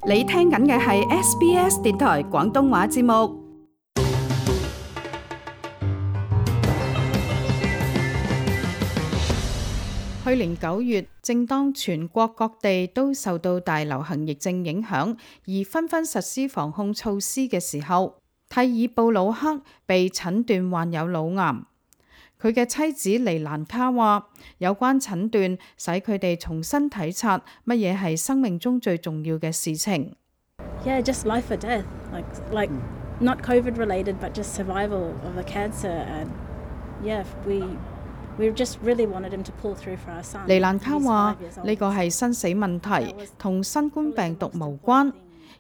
你聽緊嘅係 SBS 電台廣東話節目。去年9月，正當全國各地都受到大流行疫症影響，而紛紛實施防控措施嘅時候，蒂爾布魯克被診斷患有腦癌。佢嘅妻子尼蘭卡話，有關診斷使佢哋重新體察乜嘢係生命中最重要嘅事情。Yeah, just life or death, like not COVID related, but just survival of the cancer. And yeah, we just really wanted him to pull through for our son. 尼蘭卡話，呢個係生死問題，同新冠病毒無關，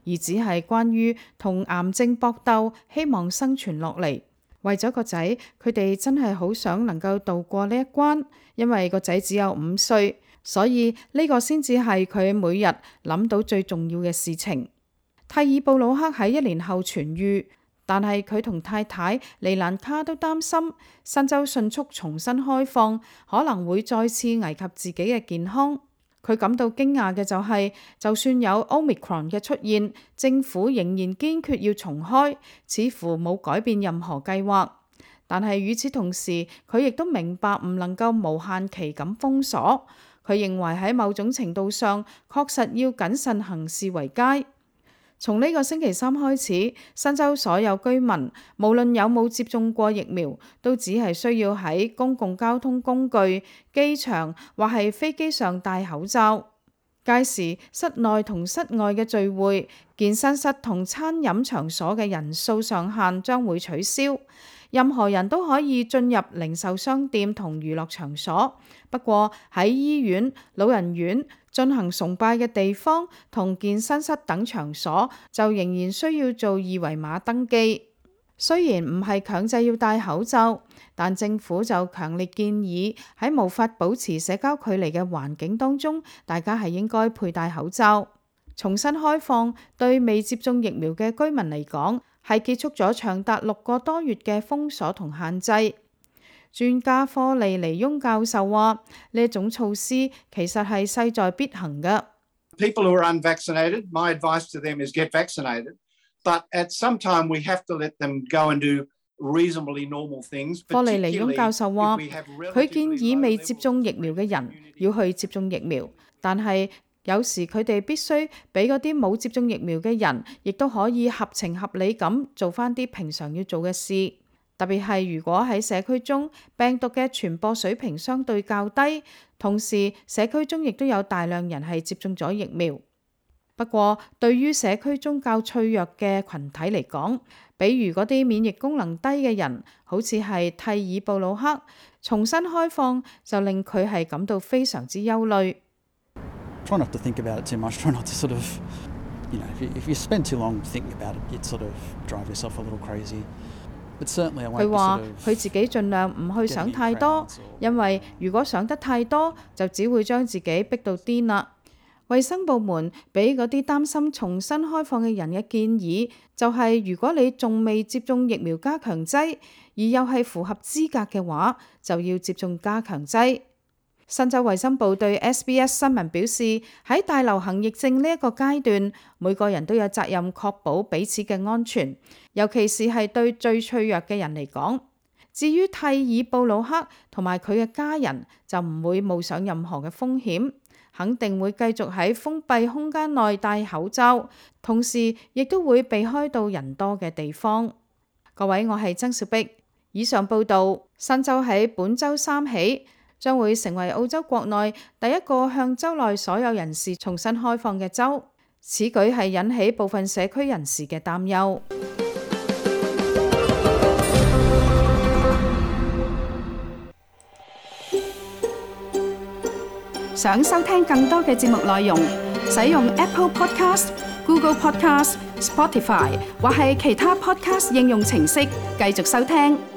而只係關於同癌症搏鬥，希望生存落嚟。為咗個仔，佢哋真係好想能夠渡過呢一關，因為個仔只有5歲，所以呢個先至係佢每日諗到最重要嘅事情。蒂爾布魯克喺1年後痊癒，但係佢同太太尼蘭卡都擔心新州迅速重新開放可能會再次危及自己嘅健康。佢感到驚訝嘅就係，就算有 Omicron 嘅出現，政府仍然堅決要重開，似乎冇改變任何計劃。但係與此同時，佢亦都明白唔能夠無限期咁封鎖。佢認為喺某種程度上，確實要謹慎行事為佳。從呢個星期3開始，新州所有居民，無論有冇接種過疫苗，都只係需要喺公共交通工具、機場或係飛機上戴口罩。屆時，室內同室外嘅聚會、健身室同餐飲場所嘅人數上限將會取消。任何人都可以進入零售商店同娛樂場所，不過喺醫院、老人院、進行崇拜嘅地方同健身室等場所就仍然需要做2維碼登記。雖然唔係強制要戴口罩，但政府就強烈建議喺無法保持社交距離嘅環境當中，大家係應該佩戴口罩。重新開放對未接種疫苗嘅居民嚟講，係結束咗長達6個多月嘅封鎖同限制。專家科利尼翁教授話，呢一種措施其實係勢在必行嘅。People who are unvaccinated, my advice to them is get vaccinated, but at some time we have to let them go and do reasonably normal things. 科利尼翁教授話，佢建議未接種疫苗嘅人要去接種疫苗，但係有時佢哋必須俾嗰啲冇接種疫苗嘅人，亦都可以合情合理咁做返啲平常要做嘅事。特別係如果喺社區中病毒嘅傳播水平相對較低，同時社區中亦都有大量人係接種咗疫苗。不過對於社區中較脆弱嘅群體嚟講，比如嗰啲免疫功能低嘅人，好似係蒂爾布魯克，重新開放就令佢係感到非常之憂慮。Try not to think about it too much. Try not to sort of, if you spend too long thinking about it, you'd sort of drive yourself a little crazy. But certainly I won't. 佢話佢自己盡量唔去想太多，因為如果想得太多，就只會將自己逼到癲啦。衛生部門俾嗰啲擔心重新開放嘅人嘅建議，就係如果你仲未接種疫苗加強劑，而又係符合資格嘅話，就要接種加強劑。新州衛生部對 SBS 新聞表示，喺大流行疫症呢一個階段，每個人都有責任確保彼此嘅安全，尤其是係對最脆弱嘅人嚟講。至於蒂爾布魯克同埋佢嘅家人，就唔會冒上任何嘅風險，肯定會繼續喺封閉空間內戴口罩，同時亦都會避開到人多嘅地方。各位，我係曾小碧，以上報導。新州喺本週3起將會成為澳洲國內第一個向州內所有人士重新開放嘅州，此舉係引起部分社區人士嘅擔憂。想收聽更多嘅節目內容，使用 Apple Podcast、Google Podcast、Spotify 或係其他 Podcast 應用程式繼續收聽。